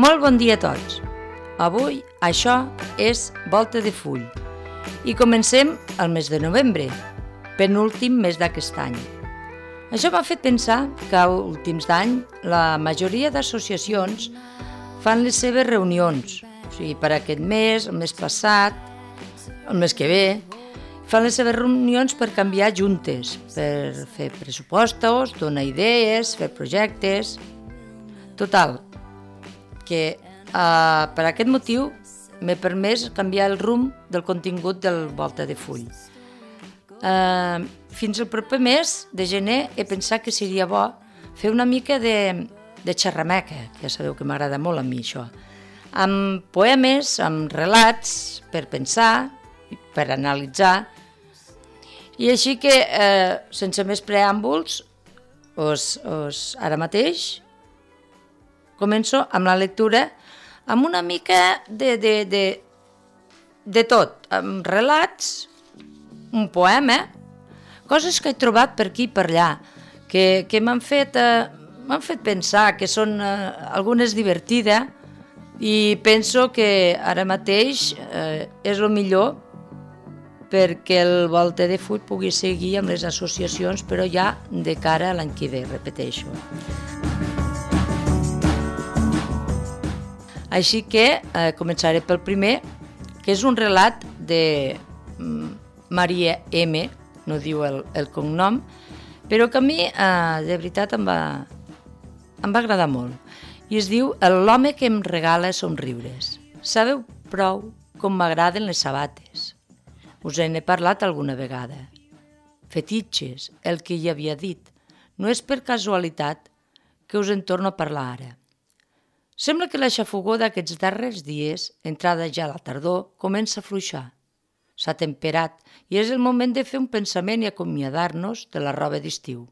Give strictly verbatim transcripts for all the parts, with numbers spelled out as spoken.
Molt bon dia a tots. Avui això és Volta de Full i comencem el mes de novembre, penúltim mes d'aquest any. Això m'ha fet pensar que a últims d'any la majoria d'associacions fan les seves reunions, o sigui, per aquest mes, el mes passat, el mes que ve, fan les seves reunions per canviar juntes, per fer pressupostos, donar idees, fer projectes. Total, que uh, per aquest motiu m'he permès canviar el rumb del contingut del Volta de Full. Uh, fins al proper mes de gener he pensat que seria bo fer una mica de, de xerrameca, que ja sabeu que m'agrada molt a mi això, amb poemes, amb relats, per pensar, per analitzar. I així que, eh, sense més preàmbuls, us, us, ara mateix començo amb la lectura, amb una mica de, de, de, de tot, amb relats, un poema, coses que he trobat per aquí i per allà, que, que m'han fet, eh, m'han fet pensar, que són eh, algunes divertides, i penso que ara mateix eh, és el millor perquè el Volta de Full pugui seguir amb les associacions, però ja de cara a l'any que ve, repeteixo. Així que eh, començaré pel primer, que és un relat de mm, Maria M, no diu el, el cognom, però que a mi eh, de veritat em va, em va agradar molt. I es diu L'home que em regala somriures. Sabeu prou com m'agraden les sabates. Us en he parlat alguna vegada. Fetitxes, el que hi havia dit. No és per casualitat que us en torno a parlar ara. Sembla que la xafogor d'aquests darrers dies, entrada ja a la tardor, comença a fluixar. S'ha temperat i és el moment de fer un pensament i acomiadar-nos de la roba d'estiu.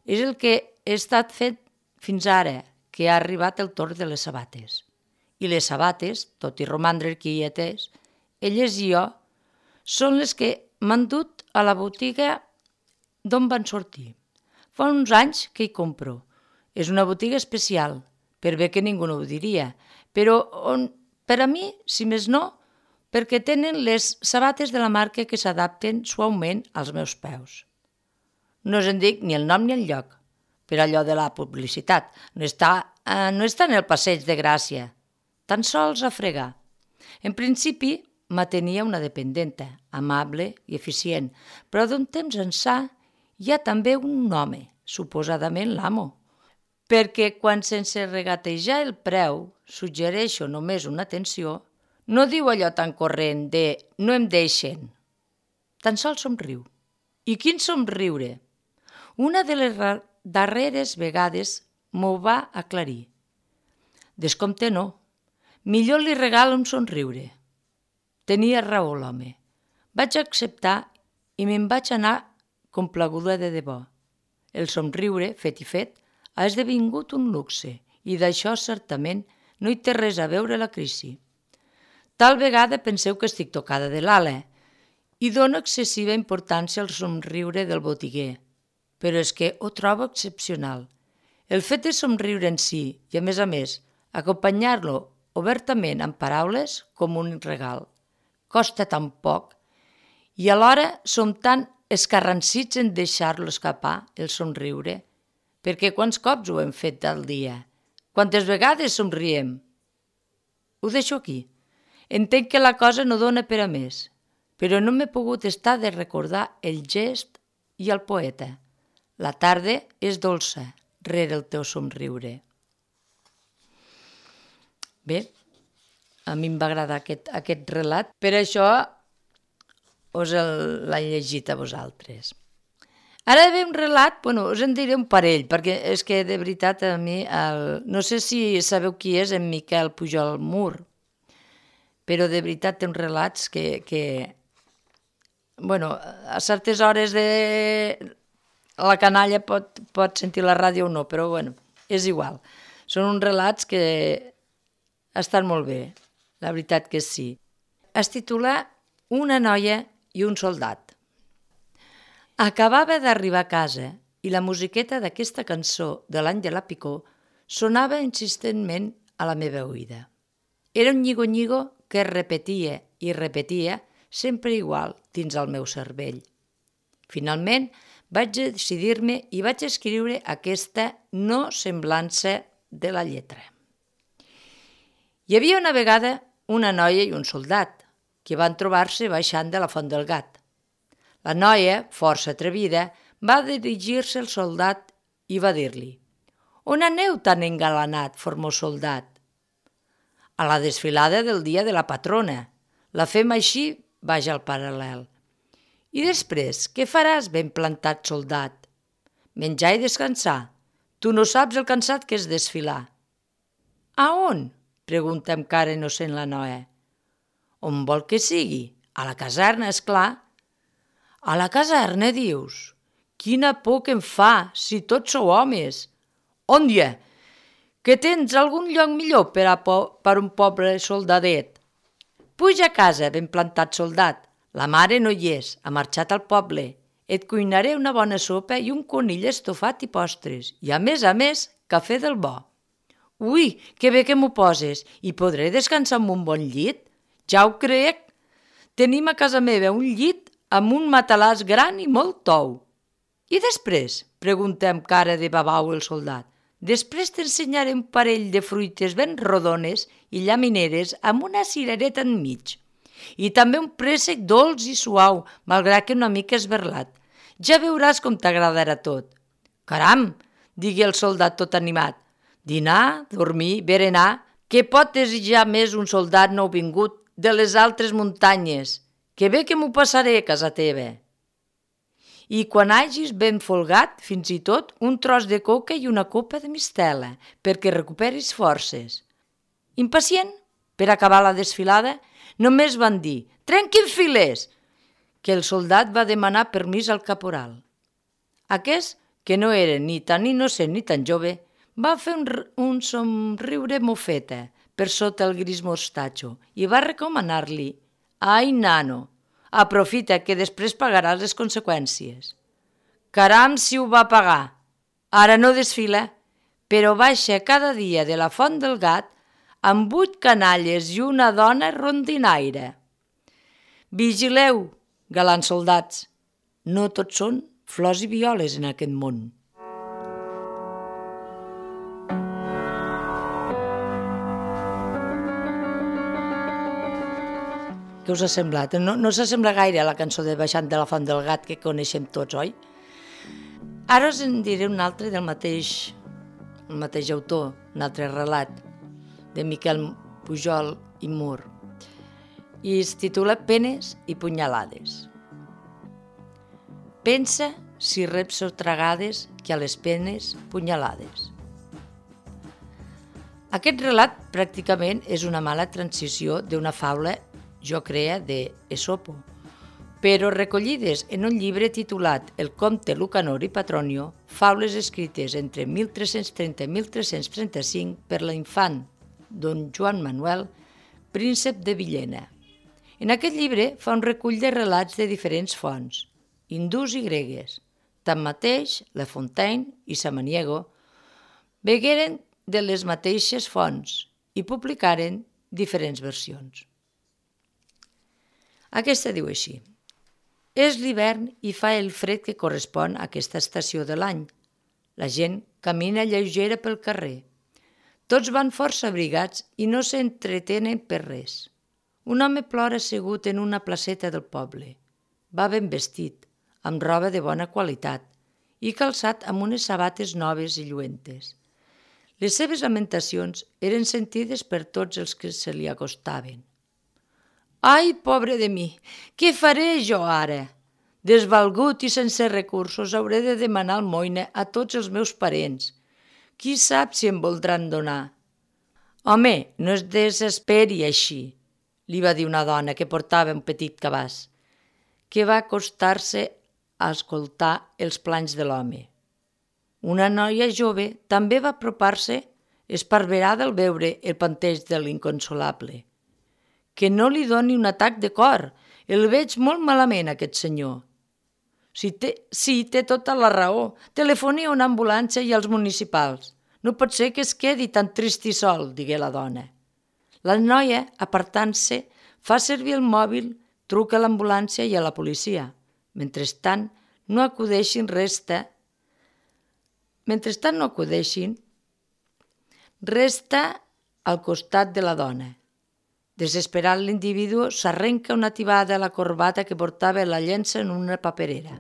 És el que he estat fent fins ara, que ha arribat el torn de les sabates. I les sabates, tot i romandre quietes, elles i jo, són les que m'han dut a la botiga d'on van sortir. Fa uns anys que hi compro. És una botiga especial, per bé que ningú no ho diria, però on, per a mi, si més no, perquè tenen les sabates de la marca que s'adapten suaument als meus peus. No us en dic ni el nom ni el lloc, per allò de la publicitat. No està, eh, no està en el passeig de Gràcia, tan sols a fregar. En principi, m'atenia una dependenta, amable i eficient, però d'un temps ençà hi ha també un home, suposadament l'amo, perquè quan sense regatejar el preu suggereixo només una atenció, no diu allò tan corrent de no em deixen, tan sols somriu. I quin somriure! Una de les darreres vegades m'ho va aclarir. Descompte no, millor li regalo un somriure. Tenia raó l'home. Vaig acceptar i me'n vaig anar complaguda de debò. El somriure, fet i fet, ha esdevingut un luxe i d'això certament no hi té res a veure la crisi. Tal vegada penseu que estic tocada de l'ala i dono excessiva importància al somriure del botiguer, però és que ho trobo excepcional. El fet de somriure en si i, a més a més, acompanyar-lo obertament amb paraules com un regal. Costa tan poc i alhora som tan escarransits en deixar-lo escapar, el somriure, perquè quants cops ho hem fet al dia? Quantes vegades somriem? Ho deixo aquí. Entenc que la cosa no dona per a més, però no m'he pogut estar de recordar el gest i el poeta. La tarda és dolça, rere el teu somriure. Bé, a mi em va agradar aquest, aquest relat, per això us l'he llegit a vosaltres. Ara ve un relat, bueno, us en diré un parell, perquè és que de veritat a mi, el, no sé si sabeu qui és en Miquel Pujol Mur, però de veritat té uns relats que, que bueno, a certes hores de la canalla pot, pot sentir la ràdio o no, però bueno, és igual. Són uns relats que estan molt bé, la veritat que sí. Es titula Una noia i un soldat. Acabava d'arribar a casa i la musiqueta d'aquesta cançó de l'any de la picor sonava insistentment a la meva oïda. Era un nyigo-nyigo que repetia i repetia sempre igual dins el meu cervell. Finalment vaig decidir-me i vaig escriure aquesta no semblança de la lletra. Hi havia una vegada una noia i un soldat que van trobar-se baixant de la Font del Gat. La noia, força atrevida, va dirigir-se al soldat i va dir-li: «On aneu tan engalanat, formós soldat?» «A la desfilada del dia de la patrona. La fem així baix al paral·lel». «I després, què faràs, ben plantat soldat?» «Menjar i descansar. Tu no saps el cansat que és desfilar». «A on?», pregunta amb cara innocent la noia. «On vol que sigui? A la caserna, és clar». «A la caserna, dius? Quina por que em fa, si tots sou homes!» «On hi ha? Que tens algun lloc millor per a po per un pobre soldadet?» «Puja a casa, ben plantat soldat. La mare no hi és, ha marxat al poble. Et cuinaré una bona sopa i un conill estofat i postres, i a més a més, cafè del bo». «Ui, que bé que m'ho poses, i podré descansar amb un bon llit?» «Ja ho crec. Tenim a casa meva un llit amb un matalàs gran i molt tou». «I després?», pregunta amb cara de babau el soldat. «Després t'ensenyaré un parell de fruites ben rodones i llamineres amb una cirereta enmig. I també un préssec dolç i suau, malgrat que una mica esberlat. Ja veuràs com t'agradarà tot». «Caram!», digui el soldat tot animat. «Dinar, dormir, berenar, què pot desitjar més un soldat nouvingut de les altres muntanyes? Que bé que m'ho passaré a casa teva. I quan hagis ben folgat, fins i tot un tros de coca i una copa de mistela, perquè recuperis forces». Impacient per acabar la desfilada, només van dir «Trenquin files!», que el soldat va demanar permís al caporal. Aquest, que no era ni tan innocent ni tan jove, va fer un, un somriure mofeta per sota el gris mostatxo i va recomanar-li: «Ai, nano, aprofita que després pagaràs les conseqüències». Caram si ho va pagar. Ara no desfila, però baixa cada dia de la Font del Gat amb vuit canalles i una dona rondinaire. Vigileu, galants soldats, no tots són flors i violes en aquest món. Què us ha semblat? No, no s'assembla gaire a la cançó de Baixant de la Font del Gat que coneixem tots, oi? Ara us en diré un altre del mateix, el mateix autor, un altre relat, de Miquel Pujol i Mur, i es titula Penes i punyalades. Pensa si reps sotragades que a les penes punyalades. Aquest relat pràcticament és una mala transició d'una faula jo crea de Esopo, però recollides en un llibre titulat El comte Lucanor i Patronio, faules escrites entre mil tres-cents trenta i mil tres-cents trenta-cinc per l'infant don Joan Manuel, príncep de Villena. En aquest llibre fa un recull de relats de diferents fonts, hindús i gregues. Tanmateix, La Fontaine i Samaniego begueren de les mateixes fonts i publicaren diferents versions. Aquesta diu així: és l'hivern i fa el fred que correspon a aquesta estació de l'any. La gent camina lleugera pel carrer. Tots van força abrigats i no s'entretenen per res. Un home plora assegut en una placeta del poble. Va ben vestit, amb roba de bona qualitat i calçat amb unes sabates noves i lluentes. Les seves lamentacions eren sentides per tots els que se li acostaven. «Ai, pobre de mi, què faré jo ara? Desvalgut i sense recursos hauré de demanar almoina a tots els meus parents. Qui sap si em voldran donar?» «Home, no es desesperi així», li va dir una dona que portava un petit cabàs, que va acostar-se a escoltar els planys de l'home. Una noia jove també va apropar-se, esparverada al veure el panteix de l'inconsolable. «Que no li doni un atac de cor, el veig molt malament, aquest senyor». «Sí, té, sí, té tota la raó. Telefoni a una ambulància i als municipals. No pot ser que es quedi tan trist i sol, digué la dona. La noia, apartant-se, fa servir el mòbil, truca a l'ambulància i a la policia. Mentrestant, no acudeixin resta... Mentrestant no acudeixin, resta al costat de la dona. Desesperat, l'individu s'arrenca una tibada a la corbata que portava i la llença en una paperera.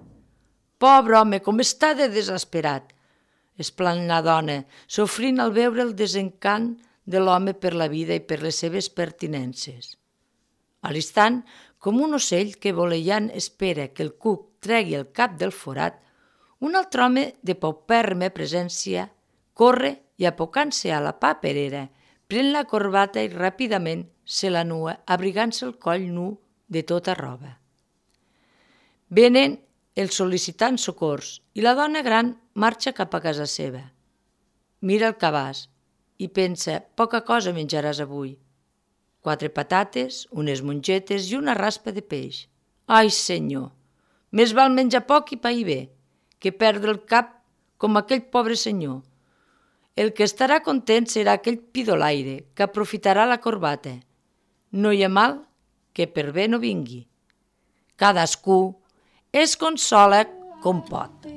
«Pobre home, com està de desesperat!» exclama la dona, sofrint al veure el desencant de l'home per la vida i per les seves pertinences. A l'instant, com un ocell que volejant espera que el cuc tregui el cap del forat, un altre home de paupèrrima presència corre i, apocant-se a la paperera, pren la corbata i ràpidament se la nua, abrigant-se el coll nu de tota roba. Venen els sol·licitants socors i la dona gran marxa cap a casa seva. Mira el cabàs i pensa, poca cosa menjaràs avui. Quatre patates, unes mongetes i una raspa de peix. Ai, senyor, més val menjar poc i pair bé, que perdre el cap com aquell pobre senyor. El que estarà content serà aquell pidolaire que aprofitarà la corbata. No hi ha mal que per bé no vingui. Cadascú es consola com pot.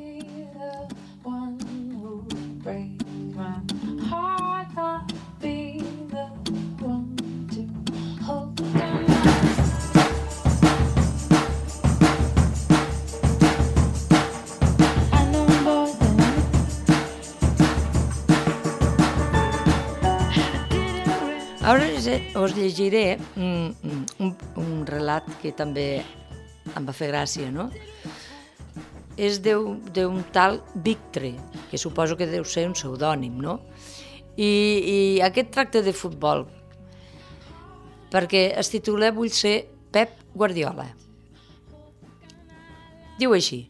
Ara us llegiré un, un, un relat que també em va fer gràcia, no? És d'un tal Victre, que suposo que deu ser un pseudònim, no? I, i aquest tracta de futbol, perquè es titula Vull ser Pep Guardiola. Diu així: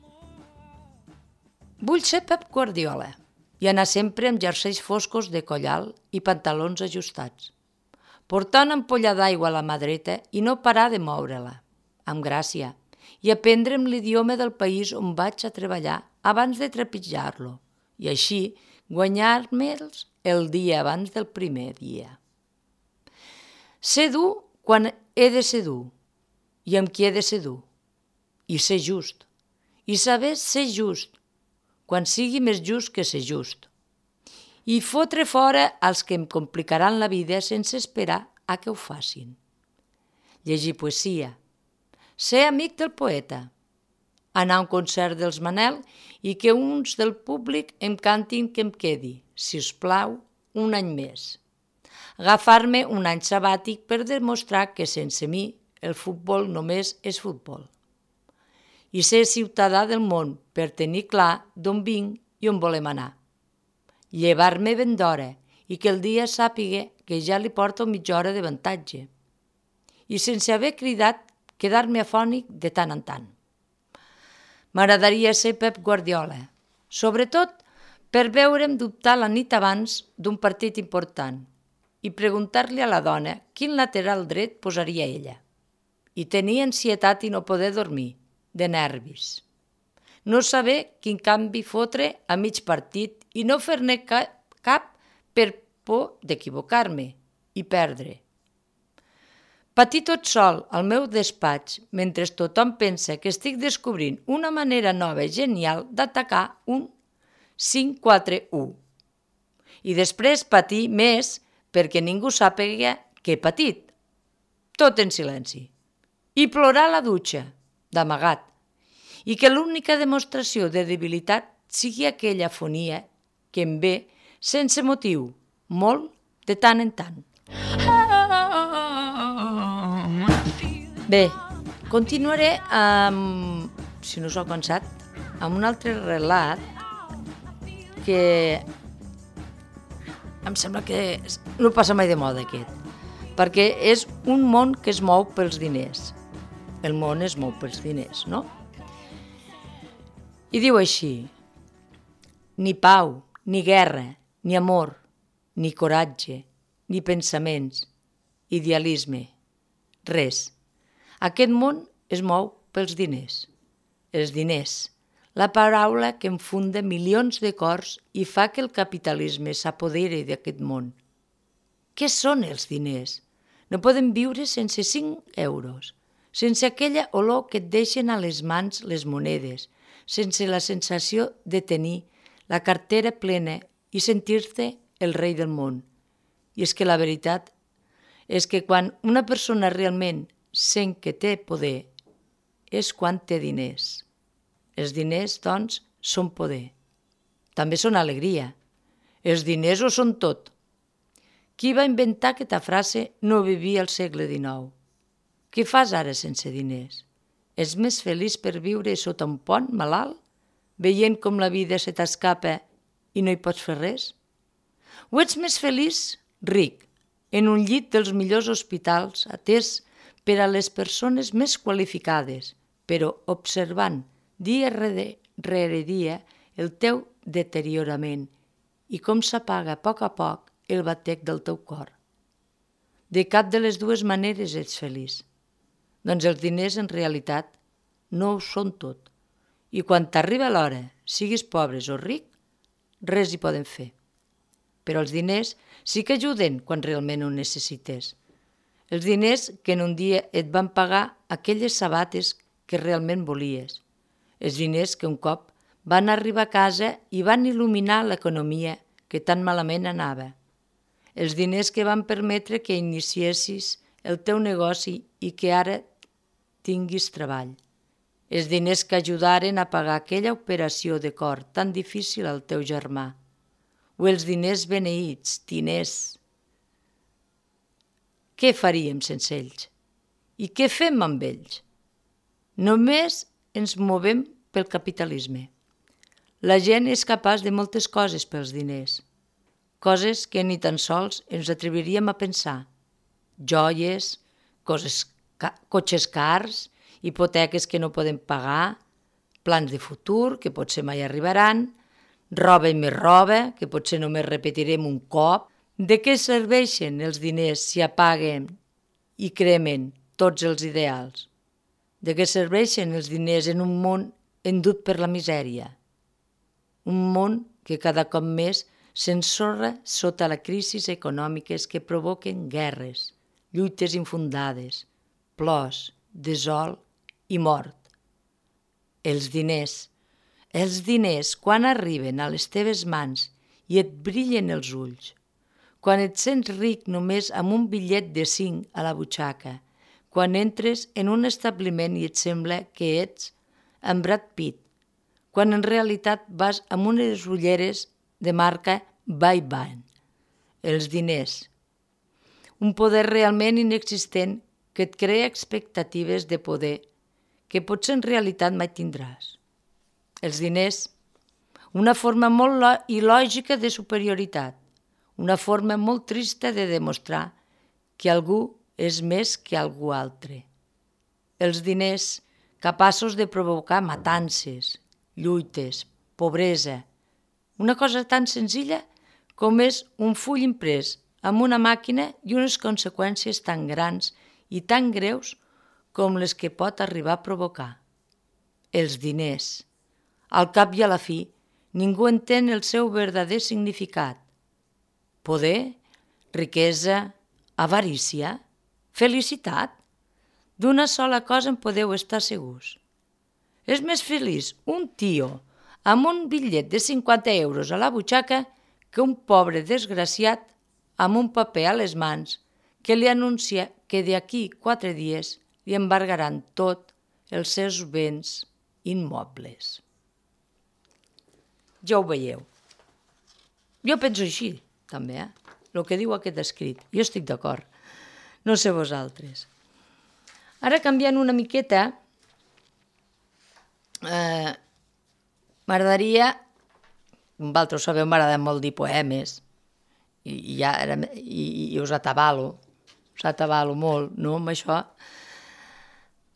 Vull ser Pep Guardiola i anar sempre amb jerseis foscos de coll alt i pantalons ajustats, portar una ampolla d'aigua a la mà dreta i no parar de moure-la, amb gràcia, i aprendre'm l'idioma del país on vaig a treballar abans de trepitjar-lo, i així guanyar-me'ls el dia abans del primer dia. Ser dur quan he de ser dur, i amb qui he de ser dur, i ser just, i saber ser just, quan sigui més just que ser just, i fotre fora els que em complicaran la vida sense esperar a que ho facin. Llegir poesia, ser amic del poeta, anar a un concert dels Manel i que uns del públic em cantin que em quedi, si us plau, un any més. Agafar-me un any sabàtic per demostrar que sense mi el futbol només és futbol. I ser ciutadà del món per tenir clar d'on vinc i on volem anar. Llevar-me ben d'hora i que el dia sàpiga que ja li porto mitja hora d'avantatge. I sense haver cridat, quedar-me afònic de tant en tant. M'agradaria ser Pep Guardiola, sobretot per veure'm dubtar la nit abans d'un partit important i preguntar-li a la dona quin lateral dret posaria ella. I tenir ansietat i no poder dormir, de nervis. No saber quin canvi fotre a mig partit i no fer-ne cap per por d'equivocar-me i perdre. Patir tot sol al meu despatx mentre tothom pensa que estic descobrint una manera nova i genial d'atacar un cinc quatre u. I després patir més perquè ningú sàpiga que he patit. Tot en silenci. I plorar a la dutxa, d'amagat. I que l'única demostració de debilitat sigui aquella afonia que em ve sense motiu, molt de tant en tant. Bé, continuaré amb, si no us ho he cansat, amb un altre relat que em sembla que no passa mai de moda aquest, perquè és un món que es mou pels diners. El món es mou pels diners, no? I diu així: ni pau, ni guerra, ni amor, ni coratge, ni pensaments, idealisme, res. Aquest món es mou pels diners. Els diners, la paraula que enfunda milions de cors i fa que el capitalisme s'apoderi d'aquest món. Què són els diners? No podem viure sense cinc euros, sense aquella olor que et deixen a les mans les monedes, sense la sensació de tenir la cartera plena i sentir-te el rei del món. I és que la veritat és que quan una persona realment sent que té poder és quan té diners. Els diners, doncs, són poder. També són alegria. Els diners ho són tot. Qui va inventar aquesta frase no vivia al segle dinou. Què fas ara sense diners? Ets més feliç per viure sota un pont malalt, veient com la vida se t'escapa i no hi pots fer res? O ets més feliç ric, en un llit dels millors hospitals, atès per a les persones més qualificades, però observant dia rere dia el teu deteriorament i com s'apaga a poc a poc el batec del teu cor. De cap de les dues maneres ets feliç. Doncs els diners en realitat no ho són tot. I quan t'arriba l'hora, siguis pobres o ric, res hi poden fer. Però els diners sí que ajuden quan realment ho necessites. Els diners que en un dia et van pagar aquelles sabates que realment volies. Els diners que un cop van arribar a casa i van il·luminar l'economia que tan malament anava. Els diners que van permetre que iniciessis el teu negoci i que ara tinguis treball. Els diners que ajudaren a pagar aquella operació de cor tan difícil al teu germà. O els diners beneïts, diners. Què faríem sense ells? I què fem amb ells? Només ens movem pel capitalisme. La gent és capaç de moltes coses pels diners, coses que ni tan sols ens atreviríem a pensar. Joies, coses, ca cotxes cars, hipoteques que no podem pagar, plans de futur que potser mai arribaran, roba i més roba que potser només repetirem un cop. De què serveixen els diners si apaguen i cremen tots els ideals? De què serveixen els diners en un món endut per la misèria? Un món que cada cop més s'ensorra sota les crisis econòmiques que provoquen guerres, lluites infundades, plors, desol i mort. Els diners, els diners quan arriben a les teves mans i et brillen els ulls, quan et sents ric només amb un bitllet de cinc a la butxaca, quan entres en un establiment i et sembla que ets en Brad Pitt, quan en realitat vas amb unes ulleres de marca Ray-Ban. Els diners. Un poder realment inexistent que et crea expectatives de poder que potser en realitat mai tindràs. Els diners. Una forma molt il·lògica de superioritat. Una forma molt trista de demostrar que algú és més que algú altre. Els diners capaços de provocar matances, lluites, pobresa. Una cosa tan senzilla com és un full imprès amb una màquina i unes conseqüències tan grans i tan greus com les que pot arribar a provocar. Els diners. Al cap i a la fi, ningú entén el seu verdader significat. Poder, riquesa, avarícia, felicitat. D'una sola cosa en podeu estar segurs. És més feliç un tio amb un bitllet de cinquanta euros a la butxaca que un pobre desgraciat amb un paper a les mans que li anuncia que d'aquí quatre dies li embargaran tot els seus béns immobles. Ja ho veieu. Jo penso així, també, eh? El que diu aquest escrit. Jo estic d'acord. No sé vosaltres. Ara, canviant una miqueta, eh, m'agradaria, vosaltres ho sabeu, m'agrada molt dir poemes, i, i, ja era, i, i us atabalo, us atabalo molt, no?, amb això.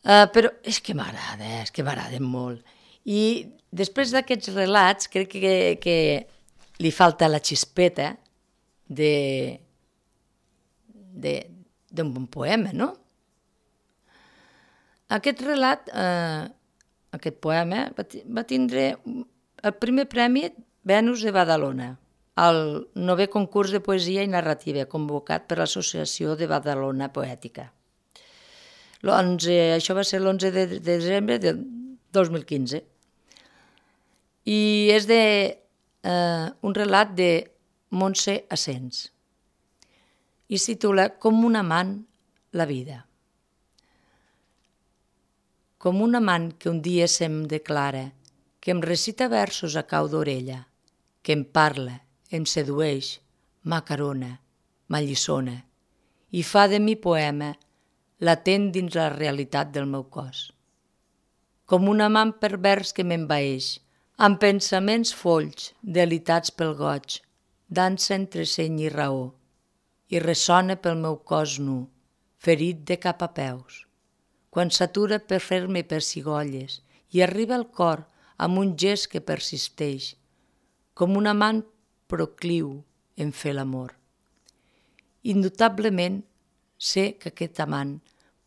Eh, però és que m'agrada, eh? és que m'agraden molt. I després d'aquests relats, crec que, que li falta la xispeta de, de, d'un bon poema, no? Aquest relat eh, aquest poema va, va tindre el primer premi Venus de Badalona, el novè concurs de poesia i narrativa convocat per l'Associació de Badalona Poètica. Això va ser l'onze de desembre del dos mil quinze. I és de, eh, un relat de Montse Asens. I es titula Com un amant la vida. Com un amant que un dia se'm declara, que em recita versos a cau d'orella, que em parla, em sedueix, m'acarona, m'alliçona i fa de mi poema latent dins la realitat del meu cos. Com un amant pervers que m'envaeix, amb pensaments folls, delitats pel goig, dansa entre seny i raó, i ressona pel meu cos nu, ferit de cap a peus. Quan s'atura per fer-me pessigolles i arriba al cor amb un gest que persisteix, com un amant procliu en fer l'amor. Indubtablement sé que aquest amant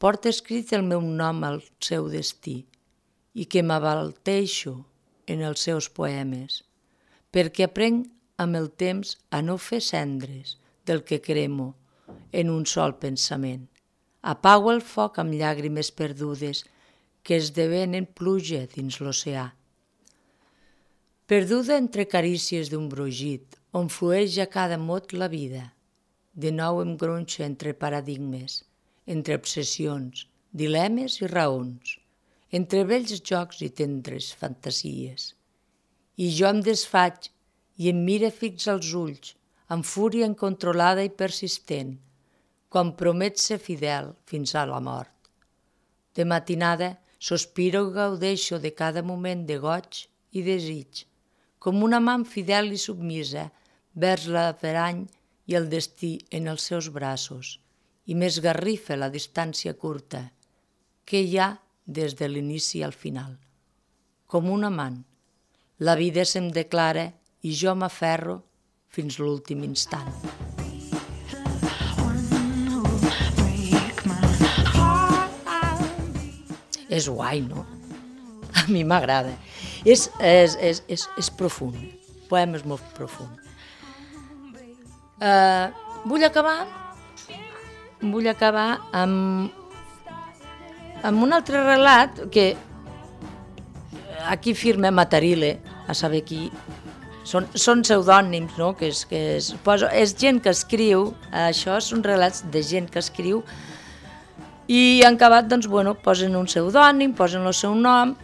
porta escrit el meu nom al seu destí i que m'abalteixo en els seus poemes, perquè aprenc amb el temps a no fer cendres del que cremo en un sol pensament. Apago el foc amb llàgrimes perdudes que esdevenen pluja dins l'oceà. Perduda entre carícies d'un brogit on flueix a cada mot la vida, de nou em gronxa entre paradigmes, entre obsessions, dilemes i raons, entre vells jocs i tendres fantasies. I jo em desfaig i em mira fix als ulls, amb fúria incontrolada i persistent, quan promet ser fidel fins a la mort. De matinada sospiro i gaudeixo de cada moment de goig i desig, com una amant fidel i submisa vers l'averany i el destí en els seus braços, i m'esgarrifa la distància curta que hi ha des de l'inici al final. Com un amant, la vida se'm declara i jo m'aferro fins l'últim instant. És guai, no? A mi m'agrada. És, és, és, és, és profund. El poema és molt profund. Uh, vull acabar vull acabar amb, amb un altre relat que aquí firma Matarile, a saber qui. Són, són pseudònims, no? Que és, que és, poso, és gent que escriu, això són relats de gent que escriu, i en acabat, doncs, bueno, posen un pseudònim, posen el seu nom,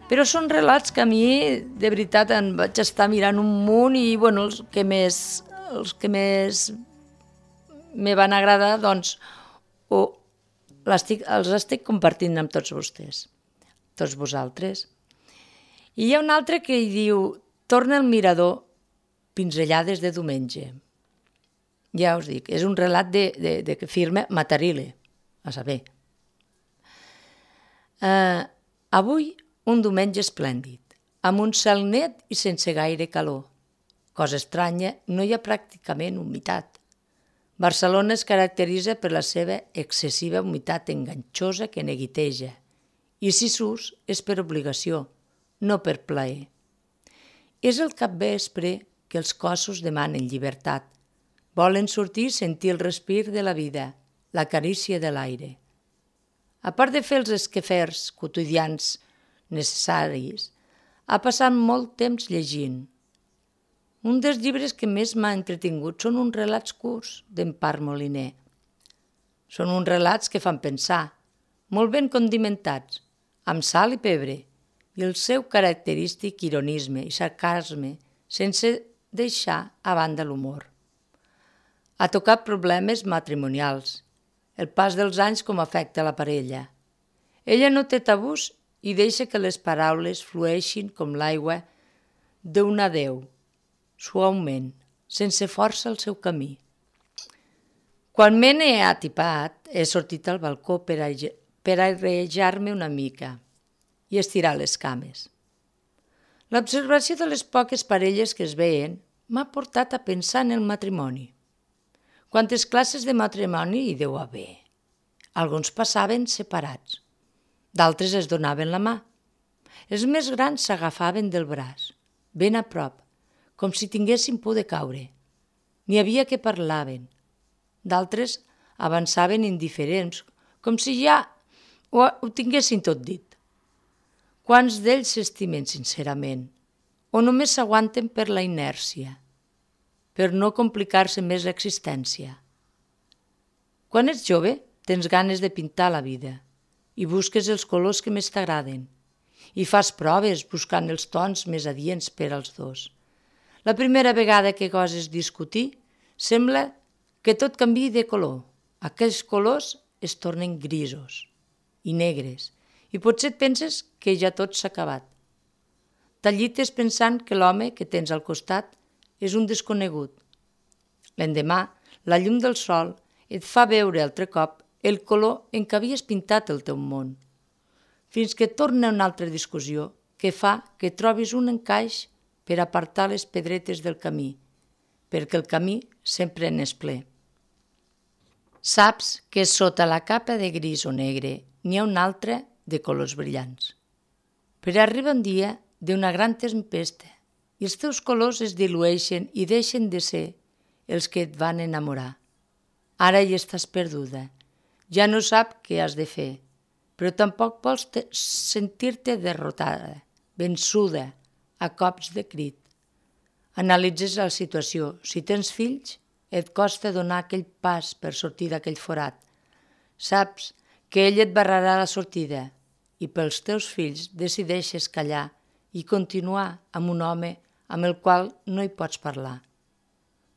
però són relats que a mi, de veritat, em vaig estar mirant un munt i, bueno, els que més, els que més me van agradar, doncs, o l'estic, els estic compartint amb tots vostès, tots vosaltres. I hi ha un altre que hi diu Torna el mirador, pinzellades de diumenge. Ja us dic, és un relat de, de, de que firma Matarile, a saber. Uh, avui, un diumenge esplèndid, amb un cel net i sense gaire calor. Cosa estranya, no hi ha pràcticament humitat. Barcelona es caracteritza per la seva excessiva humitat enganxosa que neguiteja, i si s'ús és per obligació, no per plaer. És el capvespre que els cossos demanen llibertat. Volen sortir i sentir el respir de la vida, la carícia de l'aire. A part de fer els esquefers quotidians necessaris, ha passat molt temps llegint. Un dels llibres que més m'ha entretingut són uns relats curts d'Empar Moliner. Són uns relats que fan pensar, molt ben condimentats, amb sal i pebre, i el seu característic ironisme i sarcasme sense deixar a banda l'humor. Ha tocat problemes matrimonials, el pas dels anys com afecta la parella. Ella no té tabús i deixa que les paraules flueixin com l'aigua d'un adéu, suaument, sense força al seu camí. Quan me n'he atipat, he sortit al balcó per airejar-me una mica i estirar les cames. L'observació de les poques parelles que es veien m'ha portat a pensar en el matrimoni. Quantes classes de matrimoni hi deu haver? Alguns passaven separats, d'altres es donaven la mà. Els més grans s'agafaven del braç, ben a prop, com si tinguessin por de caure. N'hi havia que parlaven. D'altres avançaven indiferents, com si ja ho, ho tinguessin tot dit. Quants d'ells s'estimen sincerament, o només s'aguanten per la inèrcia, per no complicar-se més l'existència. Quan ets jove, tens ganes de pintar la vida i busques els colors que més t'agraden i fas proves buscant els tons més adients per als dos. La primera vegada que goses discutir, sembla que tot canviï de color. Aquells colors es tornen grisos i negres i potser et penses que ja tot s'ha acabat. T'allites pensant que l'home que tens al costat és un desconegut. L'endemà, la llum del sol et fa veure altre cop el color en què havies pintat el teu món, fins que torna una altra discussió que fa que trobis un encaix per apartar les pedretes del camí, perquè el camí sempre n'és ple. Saps que sota la capa de gris o negre n'hi ha una altra de colors brillants. Però arriba un dia d'una gran tempesta i els teus colors es dilueixen i deixen de ser els que et van enamorar. Ara hi estàs perduda. Ja no sap què has de fer, però tampoc vols sentir-te derrotada, vençuda, a cops de crit. Analitzes la situació. Si tens fills, et costa donar aquell pas per sortir d'aquell forat. Saps que ell et barrarà la sortida i pels teus fills decideixes callar i continuar amb un home amb el qual no hi pots parlar.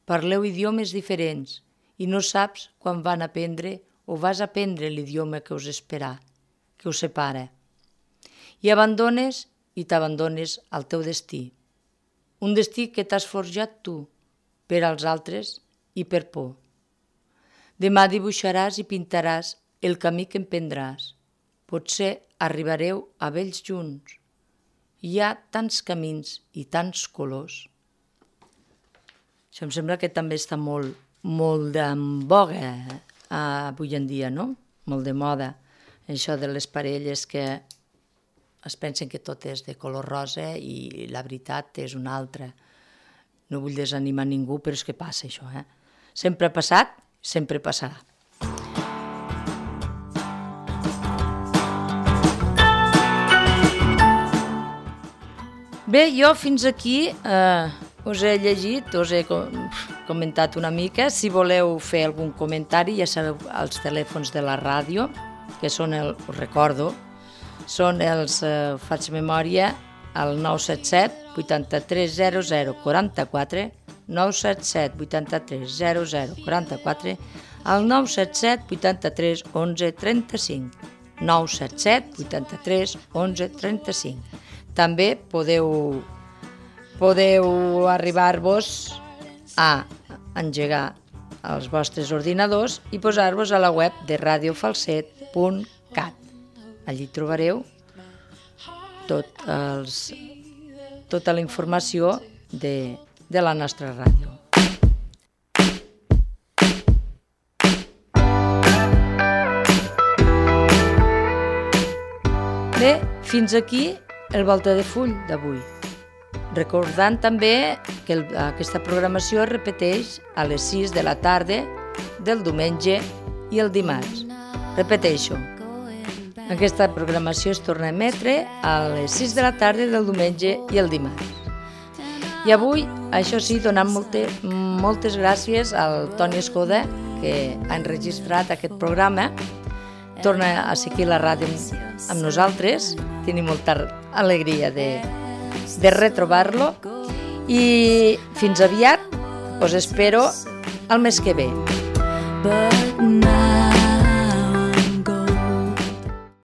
Parleu idiomes diferents i no saps quan van aprendre o vas aprendre l'idioma que us espera, que us separa. I abandones i t'abandones al teu destí. Un destí que t'has forjat tu, per als altres i per por. Demà dibuixaràs i pintaràs el camí que emprendràs. Potser arribareu a vells junts. Hi ha tants camins i tants colors. Això em sembla que també està molt, molt en boga eh, avui en dia, no? Molt de moda. Això de les parelles que es pensen que tot és de color rosa i la veritat és una altra. No vull desanimar ningú, però és que passa això, eh? Sempre ha passat, sempre passarà. Bé, jo fins aquí eh, us he llegit, us he comentat una mica. Si voleu fer algun comentari, ja sabeu els telèfons de la ràdio, que són, el, us recordo, són els, eh, faig memòria, el nou set set vuitanta-tres zero zero quaranta-quatre, nou set set vuitanta-tres zero zero quaranta-quatre, el nou set set vuitanta-tres onze trenta-cinc, nou set set vuitanta-tres onze trenta-cinc. També podeu, podeu arribar-vos a engegar els vostres ordinadors i posar-vos a la web de radio falset punt cat. Allí trobareu tot els, tota la informació de, de la nostra ràdio. Bé, fins aquí el Volta de Full d'avui. Recordant també que el, aquesta programació es repeteix a les sis de la tarda del diumenge i el dimarts. Repeteixo, aquesta programació es torna a emetre a les sis de la tarda del diumenge i el dimarts. I avui, això sí, donant molte, moltes gràcies al Toni Escoda, que ha enregistrat aquest programa. Torna a seguir la ràdio amb nosaltres. Tenim molta alegria de, de retrobar-lo. I fins aviat, us espero el mes que ve.